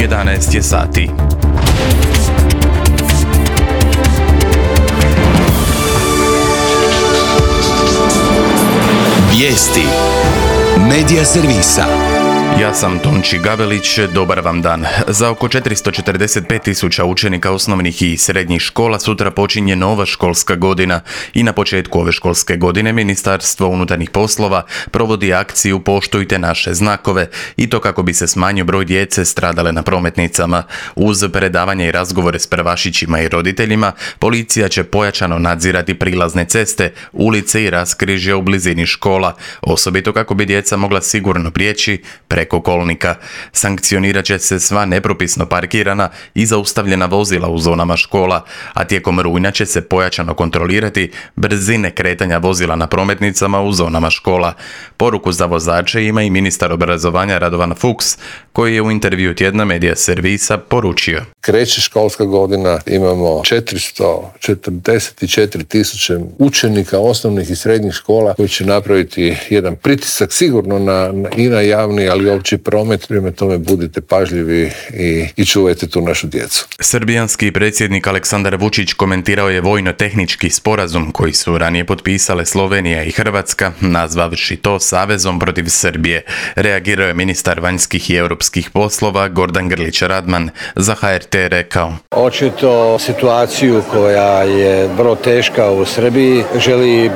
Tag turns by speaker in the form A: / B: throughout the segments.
A: 11 je sati.
B: Vijesti Medija servisa.
A: Ja sam Tonči Gavelić, dobar vam dan. Za oko 445.000 učenika osnovnih i srednjih škola sutra počinje nova školska godina i na početku ove školske godine Ministarstvo unutarnjih poslova provodi akciju Poštujte naše znakove i to kako bi se smanjio broj djece stradale na prometnicama. Uz predavanje i razgovore s prvašićima i roditeljima, policija će pojačano nadzirati prilazne ceste, ulice i raskrižja u blizini škola, osobito kako bi djeca mogla sigurno prijeći preko kolnika. Sankcionirat će se sva nepropisno parkirana i zaustavljena vozila u zonama škola, a tijekom rujna će se pojačano kontrolirati brzine kretanja vozila na prometnicama u zonama škola. Poruku za vozače ima i ministar obrazovanja Radovan Fuchs, koji je u intervju tjedna Medija servisa poručio.
C: Kreće školska godina, imamo 444.000 učenika osnovnih i srednjih škola koji će napraviti jedan pritisak sigurno i na javni, ali i opći promet. Prema tome budite pažljivi i čuvajte tu našu djecu.
A: Srbijanski predsjednik Aleksandar Vučić komentirao je vojno-tehnički sporazum koji su ranije potpisale Slovenija i Hrvatska, nazvavši to savezom protiv Srbije. Reagirao je ministar vanjskih i europskih poslova Gordan Grlić Radman. Za HRT rekao:
D: Očito situaciju koja je vrlo teška u Srbiji želi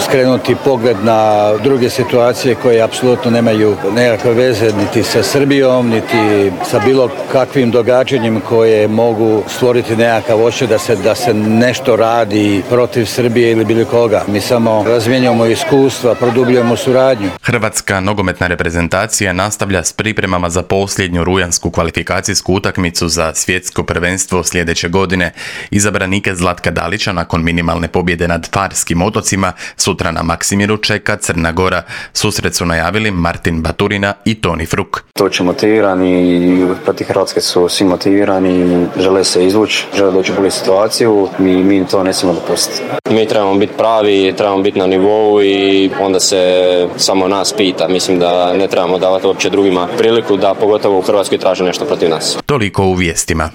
D: skrenuti pogled na druge situacije koje apsolutno nemaju nekakve veze niti sa Srbijom, niti sa bilo kakvim događanjem koje mogu stvoriti nekakav osjećaj da se nešto radi protiv Srbije ili bilo koga. Mi samo razmjenjujemo iskustva, produbljujemo suradnju.
A: Hrvatska nogometna reprezentacija nastavlja s pripremama za posljednju rujansku kvalifikacijsku utakmicu za svjetsko prvenstvo sljedeće godine. Izabranike Zlatka Dalića nakon minimalne pobjede nad Farskim otocima sutra na Maksimiru čeka Crna Gora. Susret su najavili Martin Baturina i Toni Fruk.
E: Doći motivirani, protiv Hrvatske su svi motivirani, žele se izvući, žele doći u bolju situaciju, mi to ne smijemo dopustiti. Mi trebamo biti pravi, trebamo biti na nivou i onda se samo nas pita. Mislim da ne trebamo davati uopće drugima priliku da pogotovo u Hrvatskoj traže nešto protiv nas.
A: Toliko u vijestima.